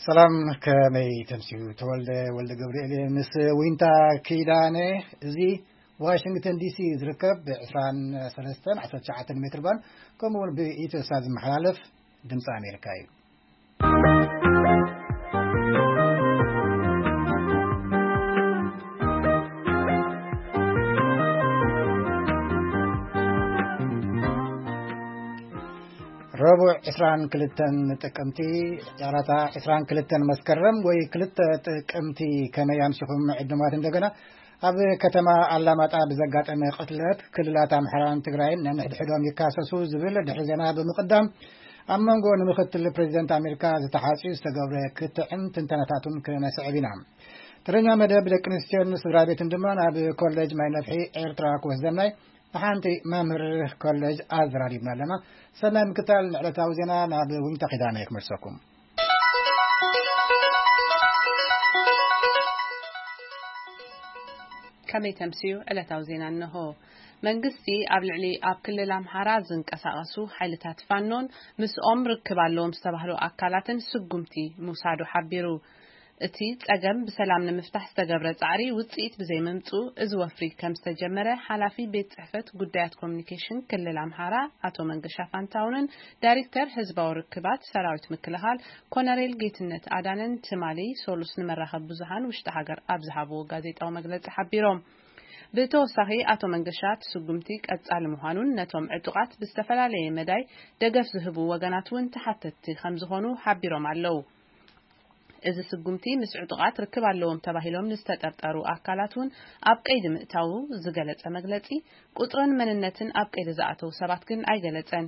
ሰላም፣ ከመይ ተምስዩ? ተወልደ ወልደ ገብርኤል ምስ ዊንታ ኪዳነ። እዚ ዋሽንግተን ዲሲ ዝርከብ ብ ዕስራን ሰለስተን ዓሰርተ ትሽዓተን ሜትር ባንድ፣ ከምኡ እውን ብኢትዮ ሳት ዝመሓላለፍ ድምፂ ኣሜሪካ እዩ። ረቡዕ ዕስራን ክልተን ጥቅምቲ፣ ጨረታ ዕስራን ክልተን መስከረም ወይ ክልተ ጥቅምቲ። ከመይ ኣምሲኹም ዕዱማት? እንደገና፣ ኣብ ከተማ ኣላማጣ ብዘጋጠመ ቅትለት ክልላት ኣምሓራን ትግራይን ነንሕድሕዶም ይካሰሱ ዝብል ድሕሪ ዜና ብምቕዳም፣ ኣብ መንጎ ንምክትል ፕሬዚደንት ኣሜሪካ ዝተሓጽዩ ዝተገብረ ክትዕን ትንተናታቱን ክነስዕብ ኢና። ተረኛ መደብ ደቂ ኣንስትዮን ስድራ ቤትን ድማ ናብ ኮሌጅ ማይ ነፍሒ ኤርትራ ክወስደና እዩ። ንሓንቲ መምህር ኮሌጅ ኣዘራሪብና ኣለና። ሰናይ ምክታል። ንዕለታዊ ዜና ናብ ዊንታ ኪዳነ ክመልሰኩም። ከመይ ተምስዩ? ዕለታዊ ዜና እንሆ። መንግስቲ ኣብ ልዕሊ ኣብ ክልል ኣምሓራ ዝንቀሳቐሱ ሓይልታት ፋኖን ምስኦም ርክብ ኣለዎም ዝተባህሉ ኣካላትን ስጉምቲ ምውሳዱ ሓቢሩ። እቲ ጸገም ብሰላም ንምፍታሕ ዝተገብረ ጻዕሪ ውጽኢት ብዘይምምጽኡ፣ እዚ ወፍሪ ከም ዝተጀመረ ሓላፊ ቤት ጽሕፈት ጉዳያት ኮሚኒኬሽን ክልል ኣምሓራ ኣቶ መንገሻ ፋንታውንን ዳይሬክተር ህዝባዊ ርክባት ሰራዊት ምክልኻል ኮነሬል ጌትነት ኣዳነን ትማሊ ሶሉስ ንመራኸቢ ብዙሃን ውሽጢ ሃገር ኣብ ዝሃብዎ ጋዜጣዊ መግለጺ ሓቢሮም። ብተወሳኺ ኣቶ መንገሻ እቲ ስጉምቲ ቀጻሊ ምዃኑን ነቶም ዕጡቓት ብዝተፈላለየ መዳይ ደገፍ ዝህቡ ወገናት እውን ተሓተትቲ ከም ዝኾኑ ሓቢሮም ኣለዉ። እዚ ስጉምቲ ምስ ዕጡቓት ርክብ ኣለዎም ተባሂሎም ንዝተጠርጠሩ ኣካላት እውን ኣብ ቀይዲ ምእታዉ ዝገለጸ መግለጺ፣ ቁጽርን መንነትን ኣብ ቀይዲ ዝኣተዉ ሰባት ግን ኣይገለጸን።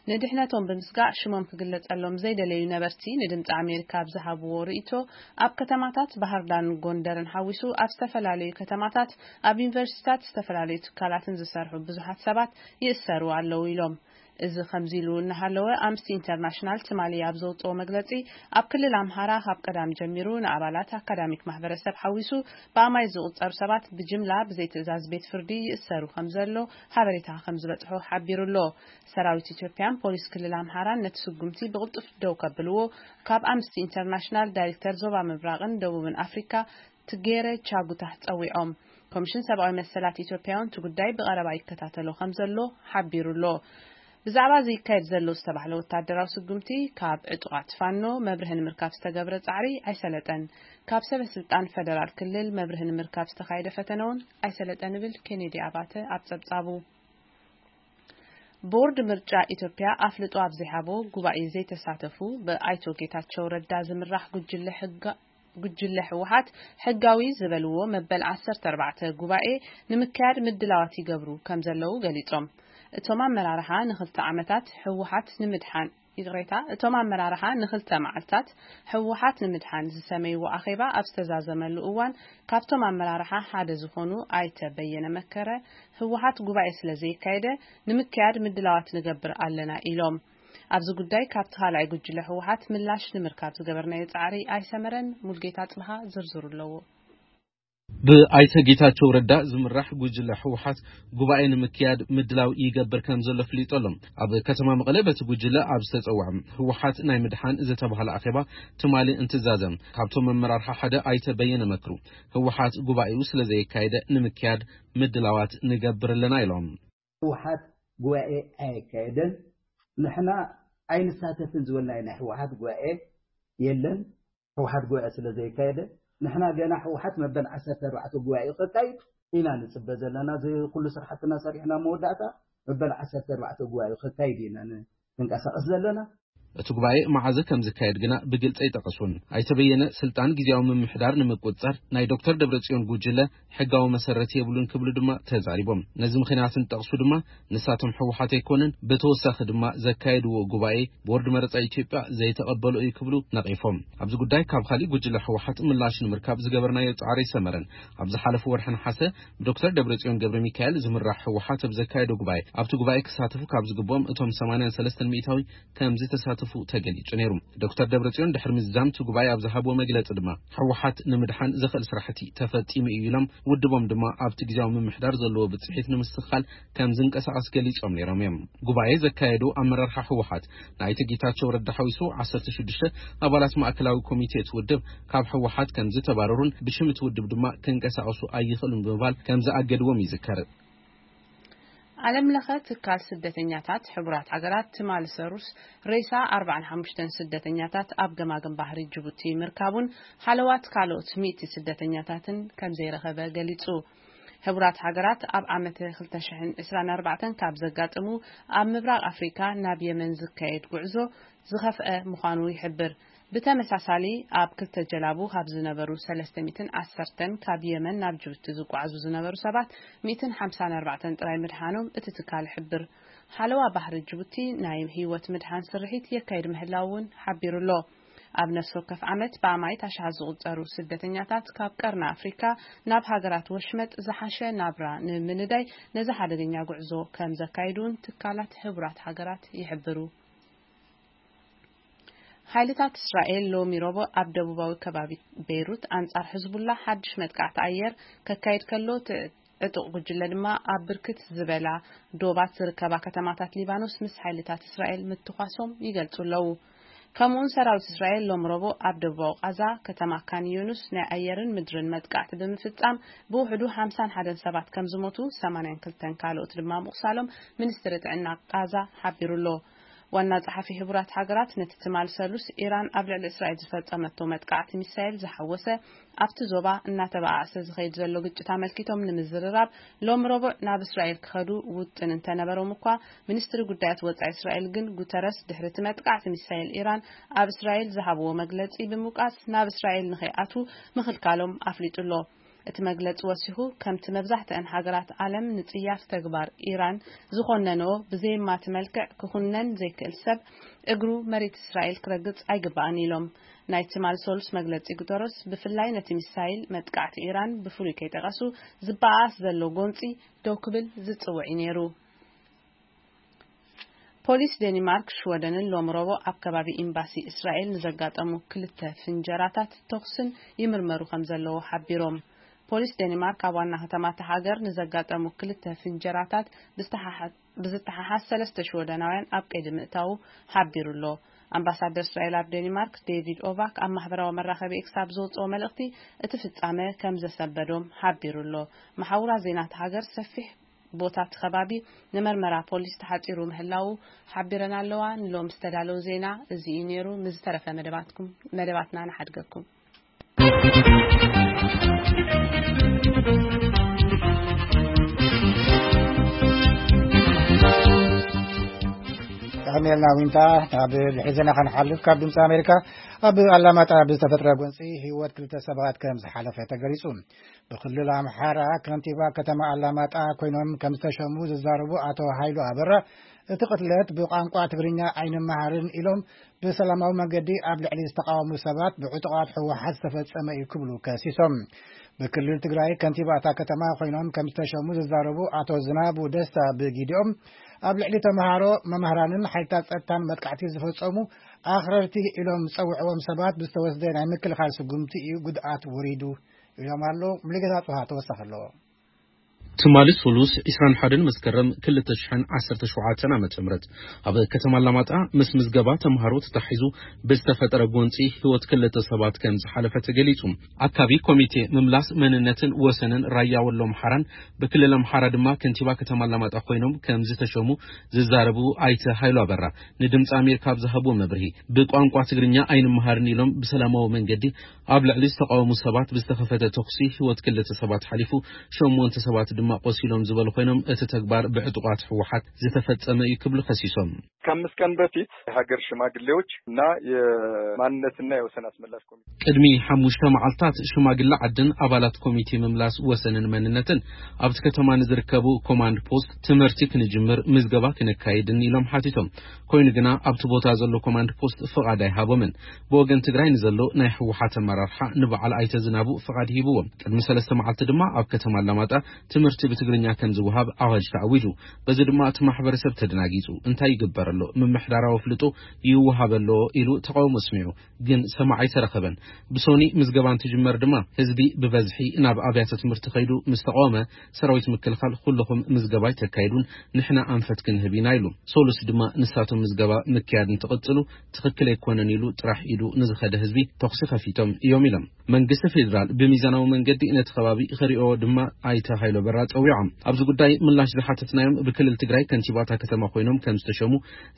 ንድሕነቶም ብምስጋእ ሽሞም ክግለጸሎም ዘይደለዩ ነበርቲ ንድምጺ ኣሜሪካ ኣብ ዝሃብዎ ርእይቶ፣ ኣብ ከተማታት ባህርዳርን ጎንደርን ሓዊሱ ኣብ ዝተፈላለዩ ከተማታት፣ ኣብ ዩኒቨርሲቲታት፣ ዝተፈላለዩ ትካላትን ዝሰርሑ ብዙሓት ሰባት ይእሰሩ ኣለዉ ኢሎም። እዚ ከምዚ ኢሉ እናሃለወ፣ ኣምነስቲ ኢንተርናሽናል ትማሊ ኣብ ዘውፅኦ መግለፂ፣ ኣብ ክልል ኣምሃራ ካብ ቀዳም ጀሚሩ ንኣባላት ኣካዳሚክ ማሕበረሰብ ሓዊሱ ብኣማይ ዝቑፀሩ ሰባት ብጅምላ ብዘይ ትእዛዝ ቤት ፍርዲ ይእሰሩ ከም ዘሎ ሓበሬታ ከም ዝበፅሖ ሓቢሩ ኣሎ። ሰራዊት ኢትዮጵያን ፖሊስ ክልል ኣምሃራን ነቲ ስጉምቲ ብቕልጡፍ ደው ከብልዎ ካብ ኣምነስቲ ኢንተርናሽናል ዳይሬክተር ዞባ ምብራቕን ደቡብን ኣፍሪካ ትጌረ ቻጉታህ ጸዊዖም። ኮሚሽን ሰብኣዊ መሰላት ኢትዮጵያ እውን እቲ ጉዳይ ብቐረባ ይከታተሎ ከም ዘሎ ሓቢሩ ኣሎ። ብዛዕባ እዚ ይካየድ ዘሎ ዝተባህለ ወታደራዊ ስጉምቲ ካብ ዕጡቓት ፋኖ መብርሂ ንምርካብ ዝተገብረ ጻዕሪ ኣይሰለጠን። ካብ ሰበ ስልጣን ፈደራል ክልል መብርሂ ንምርካብ ዝተኻየደ ፈተነ እውን ኣይሰለጠን ይብል ኬኔዲ ኣባተ ኣብ ጸብጻቡ። ቦርድ ምርጫ ኢትዮጵያ ኣፍልጦ ኣብ ዘይሃቦ ጉባኤ ዘይተሳተፉ ብኣይቶ ጌታቸው ረዳ ዝምራሕ ጉጅለ ሕጋ-፣ ጉጅለ ህወሓት ሕጋዊ ዝበልዎ መበል ዓሰርተ ኣርባዕተ ጉባኤ ንምክያድ ምድላዋት ይገብሩ ከም ዘለዉ ገሊጾም። እቶም ኣመራርሓ ንኽልተ ዓመታት ህወሓት ንምድሓን፣ ይቕሬታ፣ እቶም ኣመራርሓ ንኽልተ መዓልታት ህወሓት ንምድሓን ዝሰመይዎ ኣኼባ ኣብ ዝተዛዘመሉ እዋን፣ ካብቶም ኣመራርሓ ሓደ ዝኾኑ ኣይተ በየነ መከረ፣ ህወሓት ጉባኤ ስለ ዘየካየደ ንምክያድ ምድላዋት ንገብር ኣለና ኢሎም። ኣብዚ ጉዳይ ካብቲ ካልኣይ ጉጅለ ህወሓት ምላሽ ንምርካብ ዝገበርናዮ ጻዕሪ ኣይሰመረን። ሙልጌታ ጽብሃ ዝርዝሩ ኣለዎ። ብኣይተ ጌታቸው ረዳ ዝምራሕ ጉጅለ ህወሓት ጉባኤ ንምክያድ ምድላው ይገብር ከም ዘሎ ፍሊጡ ኣሎ። ኣብ ከተማ መቐለ በቲ ጉጅለ ኣብ ዝተጸውዐ ህወሓት ናይ ምድሓን ዝተባህለ ኣኼባ ትማሊ እንትዛዘም፣ ካብቶም መመራርሓ ሓደ ኣይተ በየነ መክሩ፣ ህወሓት ጉባኤኡ ስለ ዘየካየደ ንምክያድ ምድላዋት ንገብር ኣለና ኢሎም። ህወሓት ጉባኤ ኣየካየደን፣ ንሕና ኣይንሳተፍን ዝበልናዮ ናይ ህወሓት ጉባኤ የለን። ህወሓት ጉባኤ ስለ ዘየካየደ፣ ንሕና ገና ህወሓት መበል ዓሰርተ ኣርባዕተ ጉባኤ ከካይድ ኢና ንጽበ ዘለና። እዚ ኩሉ ስራሕትና ሰሪሕና መወዳእታ መበል ዓሰርተ ኣርባዕተ ጉባኤ ከካይድ ኢና ን-፣ ንንቀሳቐስ ዘለና። እቲ ጉባኤ መዓዘ ከም ዝካየድ ግና ብግልጺ ኣይጠቐሱን። ኣይተ በየነ፣ ስልጣን ግዝያዊ ምምሕዳር ንምቁጽጻር ናይ ዶክተር ደብረጽዮን ጉጅለ ሕጋዊ መሰረት የብሉን ክብሉ ድማ ተዛሪቦም። ነዚ ምኽንያት እንጠቕሱ ድማ ንሳቶም ህወሓት ኣይኮነን፣ ብተወሳኺ ድማ ዘካየድዎ ጉባኤ ቦርድ መረጻ ኢትዮጵያ ዘይተቐበሎ እዩ ክብሉ ነቒፎም። ኣብዚ ጉዳይ ካብ ካሊእ ጉጅለ ህወሓት ምላሽ ንምርካብ ዝገበርናዮ ጻዕሪ ኣይሰመረን። ኣብ ዝሓለፈ ወርሒ ነሓሰ ብዶክተር ደብረጽዮን ገብረ ሚካኤል ዝምራሕ ህወሓት ኣብ ዘካየዶ ጉባኤ፣ ኣብቲ ጉባኤ ክሳተፉ ካብ ዝግብኦም እቶም ሰማንያን ሰለስተን ሚእታዊ ከም ዝተሳተፉ ተገሊጹ ነይሩ። ዶክተር ደብረጽዮን ድሕሪ ምዝዛም እቲ ጉባኤ ኣብ ዝሃብዎ መግለጺ ድማ፣ ህወሓት ንምድሓን ዘኽእል ስራሕቲ ተፈጺሙ እዩ ኢሎም፣ ውድቦም ድማ ኣብቲ ግዜያዊ ምምሕዳር ዘለዎ ብጽሒት ንምስኻል ከም ዝንቀሳቐስ ገሊጾም ነይሮም እዮም። ጉባኤ ዘካየዱ ኣመራርሓ ህወሓት፣ ናይቲ ጌታቸው ረዳ ሓዊሱ ዓሰርተ ሽዱሽተ ኣባላት ማእከላዊ ኮሚቴ እቲ ውድብ ካብ ህወሓት ከም ዝተባረሩን ብሽም እቲ ውድብ ድማ ክንቀሳቐሱ ኣይኽእሉን ብምባል ከም ዝኣገድዎም ይዝከር። ዓለም ለኸ ትካል ስደተኛታት ሕቡራት ሃገራት ትማሊ ሰሩስ ሬሳ ኣርባዓን ሓሙሽተን ስደተኛታት ኣብ ገማግም ባሕሪ ጅቡቲ ምርካቡን፣ ሃለዋት ካልኦት ሚእቲ ስደተኛታትን ከም ዘይረኸበ ገሊጹ። ሕቡራት ሃገራት ኣብ ዓመተ ክልተ ሽሕን ዕስራን ኣርባዕተን ካብ ዘጋጠሙ ኣብ ምብራቕ ኣፍሪካ ናብ የመን ዝካየድ ጉዕዞ ዝኸፍአ ምዃኑ ይሕብር። ብተመሳሳሊ፣ ኣብ ክልተ ጀላቡ ካብ ዝነበሩ ሰለስተ ሚእትን ዓሰርተን ካብ የመን ናብ ጅቡቲ ዝጓዓዙ ዝነበሩ ሰባት ሚእትን ሓምሳን ኣርባዕተን ጥራይ ምድሓኖም እቲ ትካል ይሕብር። ሓለዋ ባሕሪ ጅቡቲ ናይ ህይወት ምድሓን ስርሒት የካይድ ምህላው እውን ሓቢሩ ኣሎ። ኣብ ነፍሲ ወከፍ ዓመት ብኣማኢት ኣሽሓት ዝቑጸሩ ስደተኛታት ካብ ቀርኒ ኣፍሪካ ናብ ሃገራት ወሽመጥ ዝሓሸ ናብራ ንምንዳይ ነዚ ሓደገኛ ጉዕዞ ከም ዘካይዱ እውን ትካላት ሕቡራት ሃገራት ይሕብሩ። ሓይልታት እስራኤል ሎሚ ረቡዕ ኣብ ደቡባዊ ከባቢ ቤይሩት ኣንጻር ሕዝቡላ ሓድሽ መጥቃዕቲ ኣየር ከካይድ ከሎ፣ እቲ ዕጡቕ ጉጅለ ድማ ኣብ ብርክት ዝበላ ዶባት ዝርከባ ከተማታት ሊባኖስ ምስ ሓይልታት እስራኤል ምትኳሶም ይገልጹ ኣለዉ። ከምኡውን ሰራዊት እስራኤል ሎም ረቡዕ ኣብ ደቡባዊ ቃዛ ከተማ ካን ዩኑስ ናይ ኣየርን ምድርን መጥቃዕቲ ብምፍጻም ብውሕዱ ሓምሳን ሓደን ሰባት ከም ዝሞቱ፣ ሰማንያን ክልተን ካልኦት ድማ ምቑሳሎም ሚኒስትሪ ጥዕና ቃዛ ሓቢሩ ኣሎ። ዋና ጸሓፊ ሕቡራት ሃገራት ነቲ ትማል ሰሉስ ኢራን ኣብ ልዕሊ እስራኤል ዝፈጸመቶ መጥቃዕቲ ሚሳይል ዝሓወሰ ኣብቲ ዞባ እናተበኣሰ ዝኸይድ ዘሎ ግጭት ኣመልኪቶም ንምዝርራብ ሎም ረቡዕ ናብ እስራኤል ክኸዱ ውጥን እንተነበሮም እኳ፣ ሚኒስትሪ ጉዳያት ወጻኢ እስራኤል ግን ጉተረስ ድሕሪ እቲ መጥቃዕቲ ሚሳይል ኢራን ኣብ እስራኤል ዝሃብዎ መግለጺ ብምውቃስ ናብ እስራኤል ንኸይኣትዉ ምኽልካሎም ኣፍሊጡ ኣሎ። እቲ መግለጺ ወሲኹ፣ ከምቲ መብዛሕትአን ሃገራት ዓለም ንጽያፍ ተግባር ኢራን ዝኾነንኦ ብዘየማቲ መልክዕ ክኹነን ዘይክእል ሰብ እግሩ መሬት እስራኤል ክረግጽ ኣይግባእን ኢሎም። ናይ ትማል ሰሉስ መግለጺ ጉተረስ ብፍላይ ነቲ ሚሳይል መጥቃዕቲ ኢራን ብፍሉይ ከይጠቐሱ ዝበኣስ ዘሎ ጎንጺ ደው ክብል ዝጽውዕ እዩ ነይሩ። ፖሊስ ዴኒማርክ ሽወደንን ሎም ረቡዕ ኣብ ከባቢ ኤምባሲ እስራኤል ንዘጋጠሙ ክልተ ፍንጀራታት ተኹስን ይምርመሩ ከም ዘለዉ ሓቢሮም። ፖሊስ ዴኒማርክ ኣብ ዋና ከተማ እታ ሃገር ንዘጋጠሙ ክልተ ፍንጀራታት ብዝተሓሓ-፣ ብዝተሓሓዝ ሰለስተ ሽወደናውያን ኣብ ቀይዲ ምእታዉ ሓቢሩ ኣሎ። ኣምባሳደር እስራኤል ኣብ ዴኒማርክ ዴቪድ ኦቫክ ኣብ ማሕበራዊ መራኸቢ ኤክስ ኣብ ዘውፅኦ መልእኽቲ፣ እቲ ፍጻመ ከም ዘሰንበዶም ሓቢሩ ኣሎ። መሓውራት ዜና እታ ሃገር ሰፊሕ ቦታ እቲ ከባቢ ንመርመራ ፖሊስ ተሓጺሩ ምህላዉ ሓቢረን ኣለዋ። ንሎም ዝተዳለወ ዜና እዚ እዩ ነይሩ። ምስ ዝተረፈ መደባትኩም፣ መደባትና ንሓድገኩም። ጠቕሜልና ዊንታ። ናብ ድሕሪ ዜና ከንሓልፍ፣ ካብ ድምፂ ኣሜሪካ፣ ኣብ ኣላማጣ ብዝተፈጥረ ጎንፂ ህይወት ክልተ ሰባት ከም ዝሓለፈ ተገሊፁ። ብክልል ኣምሓራ ከንቲባ ከተማ ኣላማጣ ኮይኖም ከም ዝተሸሙ ዝዛረቡ ኣቶ ሃይሉ ኣበራ፣ እቲ ቅትለት ብቋንቋ ትግርኛ ኣይንመሃርን ኢሎም ብሰላማዊ መንገዲ ኣብ ልዕሊ ዝተቃወሙ ሰባት ብዕጡቓት ህወሓት ዝተፈጸመ እዩ ክብሉ ከሲሶም። ብክልል ትግራይ ከንቲባ እታ ከተማ ኮይኖም ከም ዝተሸሙ ዝዛረቡ ኣቶ ዝናቡ ደስታ ብጊዲኦም፣ ኣብ ልዕሊ ተምሃሮ፣ መምህራንን ሓይልታት ጸጥታን መጥቃዕቲ ዝፈጸሙ ኣኽረርቲ ኢሎም ዝጸውዕዎም ሰባት ብዝተወስደ ናይ ምክልኻል ስጉምቲ እዩ ጉድኣት ወሪዱ ኢሎም ኣለዉ። ሙሉጌታ ጽሃ ተወሳኺ ኣለዎ። ትማሊ ሱሉስ ዕስራን ሓደን መስከረም ክልተ ሽሕን ዓሰርተ ሸውዓተን ዓመተ ምህረት ኣብ ከተማ ኣላማጣ ምስ ምዝገባ ተምሃሮ ተታሒዙ ብዝተፈጠረ ጎንፂ ህይወት ክልተ ሰባት ከም ዝሓለፈ ተገሊፁ። ኣካቢ ኮሚቴ ምምላስ መንነትን ወሰንን ራያ ወሎ ኣምሓራን ብክልል ኣምሓራ ድማ ከንቲባ ከተማ ኣላማጣ ኮይኖም ከም ዝተሸሙ ዝዛረቡ ኣይተ ሃይሉ ኣበራ ንድምፂ ኣሜሪካ ኣብ ዝሃብዎ መብርሂ፣ ብቋንቋ ትግርኛ ኣይንመሃርን ኢሎም ብሰላማዊ መንገዲ ኣብ ልዕሊ ዝተቃወሙ ሰባት ብዝተኸፈተ ተኹሲ ህይወት ክልተ ሰባት ሓሊፉ፣ ሸሞንተ ሰባት ድማ ቆሲሎም ዝበሉ ኮይኖም፣ እቲ ተግባር ብዕጡቓት ህወሓት ዝተፈጸመ እዩ ክብሉ ከሲሶም። ከአምስት ቀን በፊት የሀገር ሽማግሌዎች እና የማንነትና የወሰን አስመላሽ ኮሚቴ ቅድሚ ሓሙሽተ መዓልታት ሽማግለ ዓድን ኣባላት ኮሚቴ ምምላስ ወሰንን መንነትን ኣብቲ ከተማ ንዝርከቡ ኮማንድ ፖስት ትምህርቲ ክንጅምር ምዝገባ ክነካይድን ኢሎም ሓቲቶም። ኮይኑ ግና ኣብቲ ቦታ ዘሎ ኮማንድ ፖስት ፍቓድ ኣይሃቦምን። ብወገን ትግራይ ንዘሎ ናይ ህወሓት ኣመራርሓ ንበዓል ኣይተ ዝናቡ ፍቓድ ሂብዎም። ቅድሚ ሰለስተ መዓልቲ ድማ ኣብ ከተማ ኣላማጣ ትምህርቲ እቲ ብትግርኛ ከም ዝወሃብ ኣዋጅ ተኣዊጁ። በዚ ድማ እቲ ማሕበረሰብ ተደናጊጹ። እንታይ ይግበር ኣሎ? ምምሕዳራዊ ኣፍልጦ ይወሃብ ኣሎ ኢሉ ተቃውሞ ኣስሚዑ። ግን ሰማዕ ኣይተረኸበን። ብሶኒ ምዝገባ እንትጅመር ድማ ህዝቢ ብበዝሒ ናብ ኣብያተ ትምህርቲ ከይዱ ምስ ተቃወመ፣ ሰራዊት ምክልኻል፣ "ኩልኹም ምዝገባ ኣይተካይዱን፣ ንሕና ኣንፈት ክንህብ ኢና" ኢሉ። ሶሉስ ድማ ንሳቶም ምዝገባ ምክያድ እንትቕጽሉ ትኽክል ኣይኮነን ኢሉ ጥራሕ ኢዱ ንዝኸደ ህዝቢ ተኹሲ ከፊቶም እዮም ኢሎም። መንግስቲ ፌዴራል ብሚዛናዊ መንገዲ ነቲ ከባቢ ክሪኦ ድማ ኣይተ ሃይሎ በራ ጸዊዖም። ኣብዚ ጉዳይ ምላሽ ዝሓተትናዮም ብክልል ትግራይ ከንቲባታ ከተማ ኮይኖም ከም ዝተሸሙ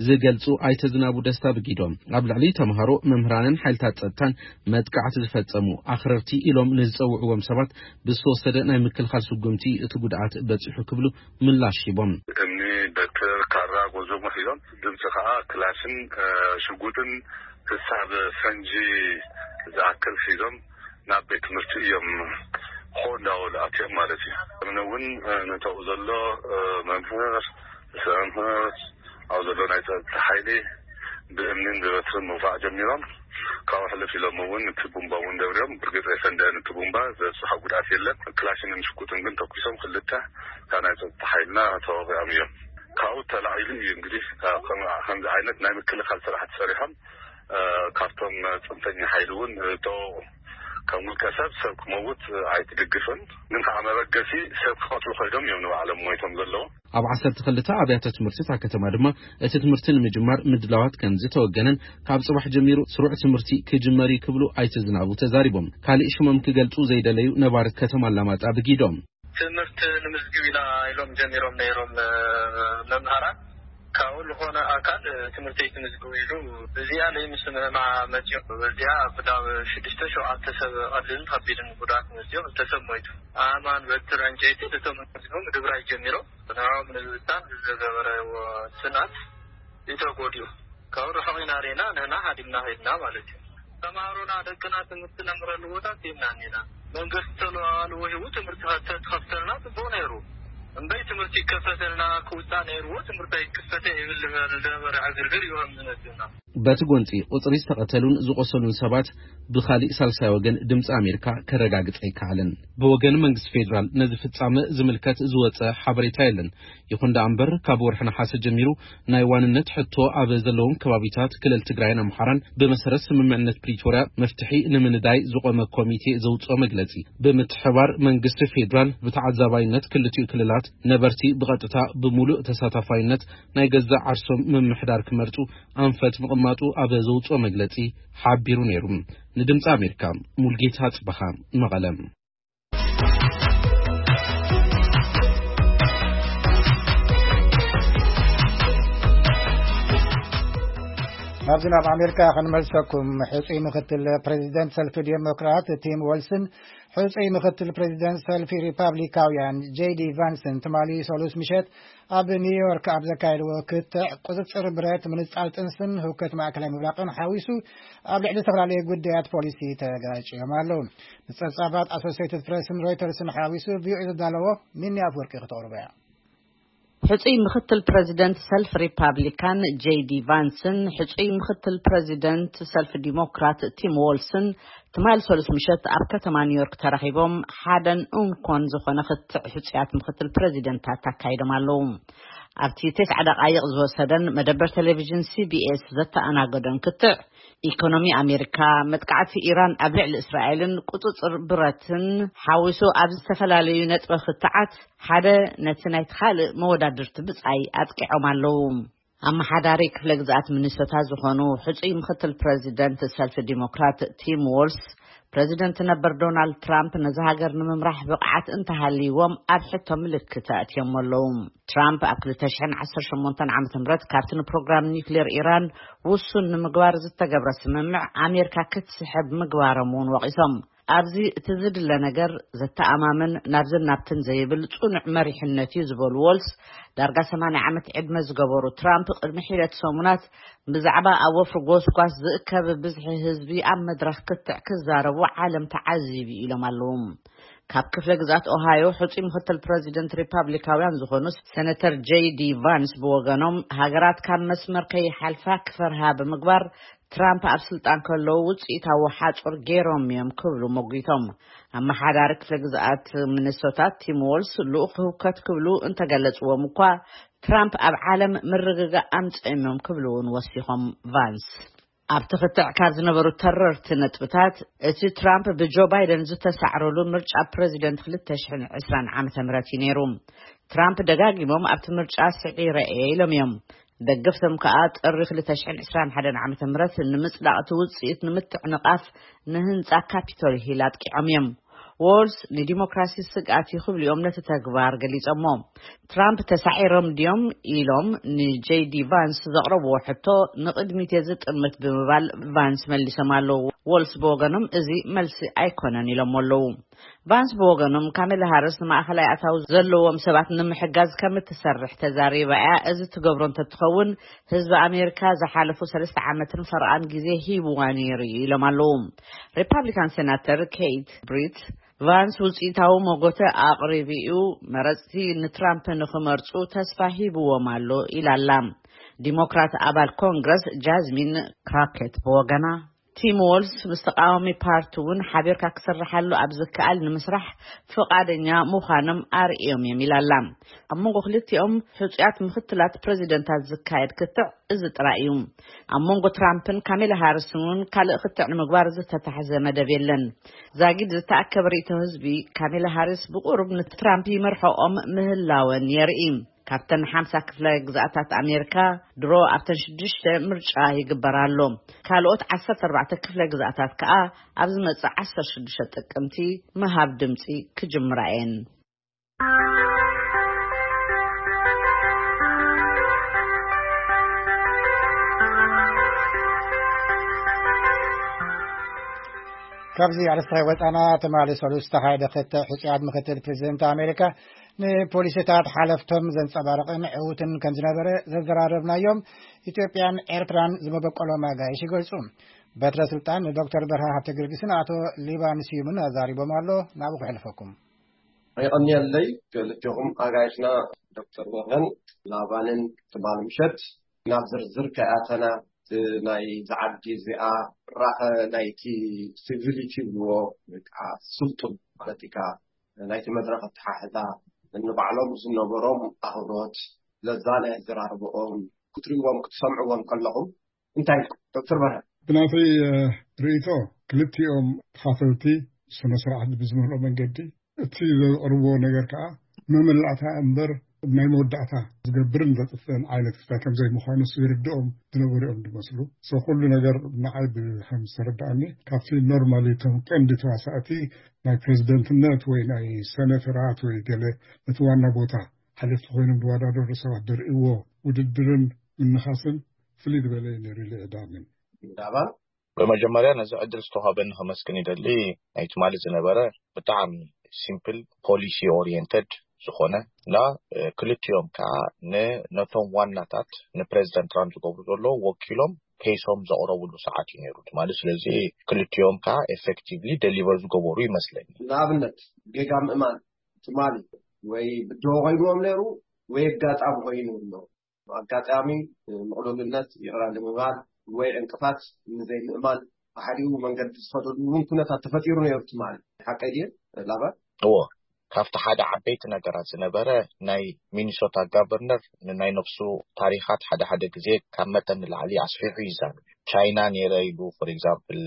ዝገልጹ ኣይተ ዝናቡ ደስታ ብጊዶም፣ ኣብ ልዕሊ ተምሃሮ፣ መምህራንን ሓይልታት ጸጥታን መጥቃዕቲ ዝፈጸሙ ኣኽረርቲ ኢሎም ንዝጸውዕዎም ሰባት ብዝተወሰደ ናይ ምክልኻል ስጉምቲ እቲ ጉድኣት በጺሑ ክብሉ ምላሽ ሂቦም። እምኒ፣ በትር፣ ካራ፣ ጎዞሞ ሒዞም ድምፂ ከዓ ክላሽን ሽጉጥን ክሳብ ፈንጂ ዝኣክል ሒዞም ናብ ቤት ትምህርቲ እዮም ኾ እንዳበሉ ኣትዮም ማለት እዩ። እምኒ እውን ነተው ዘሎ መምህር፣ ርእሰ መምህር፣ ኣብ ዘሎ ናይ ፀጥታ ሓይሊ ብእምኒን ብበትርን ምውቃዕ ጀሚሮም። ካብኡ ሕልፍ ኢሎም እውን እቲ ቡምባ እውን ደብሪዮም። ብርግፅ የፈንደአን እቲ ቡምባ፣ ዘብፅሖ ጉድኣት የለን። ክላሽንን ሽጉጥን ግን ተኩሶም ክልተ ካብ ናይ ፀጥታ ሓይልና ተወቂዖም እዮም። ካብኡ ተላዒሉ እዩ እንግዲህ ከምዚ ዓይነት ናይ ምክልኻል ስራሕቲ ሰሪሖም። ካብቶም ፅንፈኛ ሓይሊ እውን ተወቁ። ከም ውልቀ ሰብ ሰብ ክመውት ኣይትድግፍን፣ ግን ከዓ መበገሲ ሰብ ክቐትሉ ኮይዶም እዮም ንባዕሎም ሞይቶም ዘለዉ። ኣብ ዓሰርተ ክልተ ኣብያተ ትምህርቲ እታ ከተማ ድማ እቲ ትምህርቲ ንምጅማር ምድላዋት ከም ዝተወገነን ካብ ጽባሕ ጀሚሩ ስሩዕ ትምህርቲ ክጅመር እዩ ክብሉ ኣይተ ዝናቡ ተዛሪቦም። ካልእ ሽሞም ክገልጹ ዘይደለዩ ነባሪ ከተማ ኣላማጣ ብጊዶም። ትምህርቲ ንምዝግብ ኢና ኢሎም ጀሚሮም ነይሮም መምህራን። ካብኡ ዝኾነ ኣካል ትምህርቲ ኣይትምዝግቡ ኢሉ እዚኣ ለይምስምዕማ መፂኡ። በዚኣ ብዳብ ሽዱሽተ ሸውዓተ ሰብ ቀሊልን ከቢድን ጉድኣት መፂኡ፣ ክልተ ሰብ ሞይቱ። ኣእማን፣ በትር፣ ዕንጨይቲ እቶም መፂኦም ምድብራይ ጀሚሮም። ንዕኦም ንምብታን ብዝገበረዎ ስናት እዩ ተጎዲኡ። ካብ ርሑቕ ኢና ርኢና፣ ንሕና ሃዲምና ኸድና ማለት እዩ። ተምሃሮና፣ ደቅና ትምህርቲ ነምረሉ ቦታ ሂብና እኒና። መንግስቲ ተለዋዋሊ ወሂቡ ትምህርቲ ተትኸፍተልና ጽቡቕ ነይሩ። እምበይ ትምህርቲ ይከፈተልና ክውጻእ ነይርዎ፣ ትምህርቲ ኣይክፈተ ይብል ዝነበረ ዕግርግር እዩ ከም ዝመጽእና። በቲ ጎንጺ ቁጽሪ ዝተቐተሉን ዝቆሰሉን ሰባት ብኻሊእ ሳልሳይ ወገን ድምጺ ኣሜሪካ ከረጋግጽ ኣይከኣለን። ብወገን መንግስቲ ፌዴራል ነዚ ፍጻመ ዝምልከት ዝወጸ ሓበሬታ የለን። ይኹን ደኣ እምበር፣ ካብ ወርሒ ነሓሰ ጀሚሩ ናይ ዋንነት ሕቶ ኣብ ዘለዎም ከባቢታት ክልል ትግራይን ኣምሓራን ብመሰረት ስምምዕነት ፕሪቶርያ መፍትሒ ንምንዳይ ዝቖመ ኮሚቴ ዘውፅኦ መግለፂ፣ ብምትሕባር መንግስቲ ፌዴራል ብተዓዛባይነት ክልቲኡ ክልላት ነበርቲ ብቐጥታ ብምሉእ ተሳታፋይነት ናይ ገዛእ ዓርሶም ምምሕዳር ክመርፁ ኣንፈት ምቕማጡ ኣብ ዘውፅኦ መግለፂ ሓቢሩ ነይሩ። ንድምፂ ኣሜሪካ ሙልጌታ ጽበኻ፣ መቐለ። ናብዚ ናብ ኣሜሪካ ክንመልሰኩም። ሕፁይ ምክትል ፕሬዚደንት ሰልፊ ዴሞክራት ቲም ወልስን ሕፁይ ምክትል ፕሬዚደንት ሰልፊ ሪፓብሊካውያን ጄዲ ቫንስን ትማሊ ሰሉስ ምሸት ኣብ ኒውዮርክ ኣብ ዘካየድዎ ክትዕ፣ ቁፅፅር ብረት፣ ምንፃል ጥንስን ህውከት ማእከላይ ምብራቕን ሓዊሱ ኣብ ልዕሊ ዝተፈላለዩ ጉዳያት ፖሊሲ ተጋጭዮም ኣለዉ። ንፀብፃባት ኣሶሴይትድ ፕሬስን ሮይተርስን ሓዊሱ ቪኦኤ ዘዳለዎ ሚኒ ኣፍወርቂ ክተቕርቦ እያ። ሕፁይ ምክትል ፕሬዚደንት ሰልፍ ሪፓብሊካን ጄዲ ቫንስን ሕፁይ ምክትል ፕሬዚደንት ሰልፍ ዲሞክራት ቲም ዎልስን ትማል ሰሉስ ምሸት ኣብ ከተማ ኒውዮርክ ተራኺቦም ሓደን እንኮን ዝኾነ ክትዕ ሕፁያት ምክትል ፕሬዚደንታት ኣካይዶም ኣለዉ። ኣብቲ ተስዓ ደቃይቕ ዝወሰደን መደበር ቴሌቪዥን ሲቢኤስ ዘተኣናገዶን ክትዕ፣ ኢኮኖሚ ኣሜሪካ፣ መጥቃዕቲ ኢራን ኣብ ልዕሊ እስራኤልን ቁፅፅር ብረትን ሓዊሱ ኣብ ዝተፈላለዩ ነጥበ ክትዓት ሓደ ነቲ ናይቲ ካልእ መወዳድርቲ ብጻይ ኣጥቂዖም ኣለዉ። ኣመሓዳሪ ክፍለ ግዝኣት ሚኒሶታ ዝኾኑ ሕጹይ ምክትል ፕረዚደንት ሰልፊ ዲሞክራት ቲም ዎልስ፣ ፕረዚደንት ነበር ዶናልድ ትራምፕ ነዛ ሃገር ንምምራሕ ብቕዓት እንተሃልይዎም ኣብ ሕቶ ምልክት ኣእትዮም ኣለዉ። ትራምፕ ኣብ ክልተ ሽሕን ዓሰርተ ሸሞንተን ዓመተ ምህረት ካብቲ ንፕሮግራም ኒውክሌር ኢራን ውሱን ንምግባር ዝተገብረ ስምምዕ ኣሜሪካ ክትስሕብ ምግባሮም እውን ወቒሶም። ኣብዚ እቲ ዝድለ ነገር ዘተኣማምን ናብዝን ናብትን ዘይብል ጽኑዕ መሪሕነት እዩ ዝበሉ ዎልስ፣ ዳርጋ ሰማንያ ዓመት ዕድመ ዝገበሩ ትራምፕ ቅድሚ ሒደት ሰሙናት ብዛዕባ ኣብ ወፍሪ ጎስጓስ ዝእከብ ብዝሒ ህዝቢ ኣብ መድረኽ ክትዕ ክዛረቡ ዓለም ተዓዚቡ ኢሎም ኣለዉ። ካብ ክፍለ ግዝኣት ኦሃዮ ሕጹይ ምክትል ፕረዚደንት ሪፓብሊካውያን ዝኾኑ ሰነተር ጄይ ዲ ቫንስ ብወገኖም፣ ሃገራት ካብ መስመር ከይሓልፋ ክፈርሃ ብምግባር ትራምፕ ኣብ ስልጣን ከለዉ ውጽኢታዊ ሓጹር ገይሮም እዮም ክብሉ ሞጒቶም። ኣመሓዳሪ ክፍለ ግዝኣት ሚኒሶታ ቲም ዎልስ ልኡኽ ህውከት ክብሉ እንተገለጽዎም እኳ፣ ትራምፕ ኣብ ዓለም ምርግጋእ ኣምጺኦም እዮም ክብሉ እውን ወሲኾም ቫንስ። ኣብቲ ክትዕ ካብ ዝነበሩ ተረርቲ ነጥብታት፣ እቲ ትራምፕ ብጆ ባይደን ዝተሳዕረሉ ምርጫ ፕረዚደንት ክልተ ሽሕን ዕስራን ዓመተ ምህረት እዩ ነይሩ። ትራምፕ ደጋጊሞም ኣብቲ ምርጫ ስዒረ እየ ኢሎም እዮም። ደገፍቶም ከኣ ጥሪ ክልተ ሽሕን ዕስራን ሓደን ዓመተ ምህረት ንምጽዳቕ እቲ ውጽኢት ንምትዕንቓፍ ንህንጻ ካፒቶል ሂል ኣጥቂዖም እዮም። ዎልስ ንዲሞክራሲ ስግኣት እዩ ክብሉ እዮም ነቲ ተግባር ገሊጾሞ። ትራምፕ ተሳዒሮም ድዮም ኢሎም ንጄይ ዲ ቫንስ ዘቕረብዎ ሕቶ ንቕድሚት እየ ዝጥምት ብምባል ቫንስ መሊሶም ኣለዉ። ዎልስ ብወገኖም እዚ መልሲ ኣይኮነን ኢሎም ኣለዉ። ቫንስ ብወገኖም ካሜላ ሃርስ ንማእኸላይ ኣታዊ ዘለዎም ሰባት ንምሕጋዝ ከም እትሰርሕ ተዛሪባ እያ። እዚ ትገብሮ እንተትኸውን ህዝቢ ኣሜሪካ ዝሓለፉ ሰለስተ ዓመትን ፈረቓን ግዜ ሂብዋ ነይሩ እዩ ኢሎም ኣለዉ። ሪፓብሊካን ሴናተር ኬት ብሪት ቫንስ ውጽኢታዊ መጎተ ኣቕሪቡ እዩ፣ መረጽቲ ንትራምፕ ንኽመርጹ ተስፋ ሂብዎም ኣሎ ኢላ ኣላ። ዲሞክራት ኣባል ኮንግረስ ጃዝሚን ክራኬት ብወገና፣ ቲም ዎልስ ምስ ተቃዋሚ ፓርቲ እውን ሓቢርካ ክስርሓሉ ኣብ ዝከኣል ንምስራሕ ፍቓደኛ ምዃኖም ኣርእዮም እዮም ኢላ ኣላ። ኣብ መንጎ ክልቲኦም ሕጹያት ምክትላት ፕረዚደንታት ዝካየድ ክትዕ እዚ ጥራይ እዩ። ኣብ መንጎ ትራምፕን ካሜላ ሃሪስን እውን ካልእ ክትዕ ንምግባር ዝተታሕዘ መደብ የለን። ዛጊድ ዝተኣከበ ርእይቶ ህዝቢ፣ ካሜላ ሃሪስ ብቁሩብ ንትራምፕ ይመርሖኦም ምህላወን የርኢ። ካብተን ሓምሳ ክፍለ ግዝኣታት ኣሜሪካ ድሮ ኣብተን ሽዱሽተ ምርጫ ይግበር ኣሎ። ካልኦት ዓሰርተ ኣርባዕተ ክፍለ ግዝኣታት ከኣ ኣብ ዝመጽእ ዓሰርተ ሽዱሽተ ጥቅምቲ ምሃብ ድምጺ ክጅምራ እየን። ካብዚ ኣርእስቲ ወጻና፣ ትማሊ ሰሉስ ዝተኻየደ ክትዕ ሕጹያት ምክትል ፕሬዚደንት ኣሜሪካ ንፖሊሲታት ሓለፍቶም ዘንጸባርቕን ዕዉትን ከም ዝነበረ ዘዘራረብናዮም ኢትዮጵያን ኤርትራን ዝመበቆሎም ኣጋይሽ ይገልጹ። በትረ ስልጣን ንዶክተር በርሀ ሃብተ ጊዮርጊስን ኣቶ ሊባን ስዩምን ኣዛሪቦም ኣሎ። ናብኡ ክሕልፈኩም። የቐንየለይ ክልቴኹም ኣጋይሽና ዶክተር በርሀን ላባንን ትማሊ ምሸት ናብ ዝርዝር ከይኣተና፣ እቲ ናይ ዝዓዲ እዚኣ ራኸ ናይቲ ሲቪሊቲ ይብልዎ፣ ወይ ከዓ ስልጡን ማለት እዩ፣ ናይቲ መድረኽ ኣተሓሕዛ፣ ንባዕሎም ዝነበሮም ኣኽብሮት፣ ለዛ ናይ ኣዘራርባኦም ክትርእይዎም ክትሰምዕዎም ከለኹም እንታይ ኢልኩም? ዶክተር በርሀ። ብናተይ፣ እ፣ ርእይቶ፣ ክልቲኦም ተኻፈልቲ ስነ ስርዓት ብዝመልኦ መንገዲ እቲ ዘቕርብዎ ነገር ከዓ መመላእታ እምበር ናይ መወዳእታ ዝገብርን ዘጥፍእን ዓይነት ክስታይ ከም ዘይምዃኑ ይርድኦም ዝነበሩ እዮም ዝመስሉ። So ኩሉ ነገር ንዓይ ብከም ዝተረድኣኒ ካብቲ ኖርማሊ እቶም ቀንዲ ተዋሳእቲ ናይ ፕሬዚደንትነት ወይ ናይ ሰነተራት ወይ ገለ ነቲ ዋና ቦታ ሓለፍቲ ኮይኖም ዝወዳደሩ ሰባት ዘርእይዎ ውድድርን ምንኻስን ፍልይ ዝበለ እዩ ነይሩ ኢለ እየ ዝኣምን። ዳባን። ብመጀመርያ ነዚ ዕድል ዝተዋህበኒ ከመስግን ይደሊ። ናይ ትማሊ ዝነበረ ብጣዕሚ ሲምፕል ፖሊሲ ኦሪየንተድ ዝኾነ እና፣ እ፣ ክልቲኦም ከዓ ን-፣ ነቶም ዋናታት ንፕሬዚደንት ትራምፕ ዝገብሩ ዘለዉ ወኪሎም ኬሶም ዘቕረብሉ ሰዓት እዩ ነይሩ ትማሊ። ስለዚ ክልቲኦም ከዓ ኤፌክቲቭሊ ደሊቨር ዝገበሩ ይመስለኒ። ንኣብነት ጌጋ ምእማን ትማሊ ወይ ብድሆ ኮይንዎም ነይሩ ወይ ኣጋጣሚ ኮይኑ ኣሎ። ኣጋጣሚ ምቕሉልነት ይቕረ ንምባል ወይ ዕንቅፋት ንዘይምእማን ብሓዲኡ መንገዲ ዝኸደሉ እውን ኩነታት ተፈጢሩ ነይሩ ትማሊ። ሓቀይ ድየ ላባ? እዎ፣ ካብቲ ሓደ ዓበይቲ ነገራት ዝነበረ ናይ ሚኒሶታ ጋቨርነር ንናይ ነፍሱ ታሪኻት ሓደ ሓደ ግዜ ካብ መጠን ንላዕሊ ኣስፊሑ ይዛረብ። ቻይና ነይረ ኢሉ፣ ፎር ኤግዛምፕል፣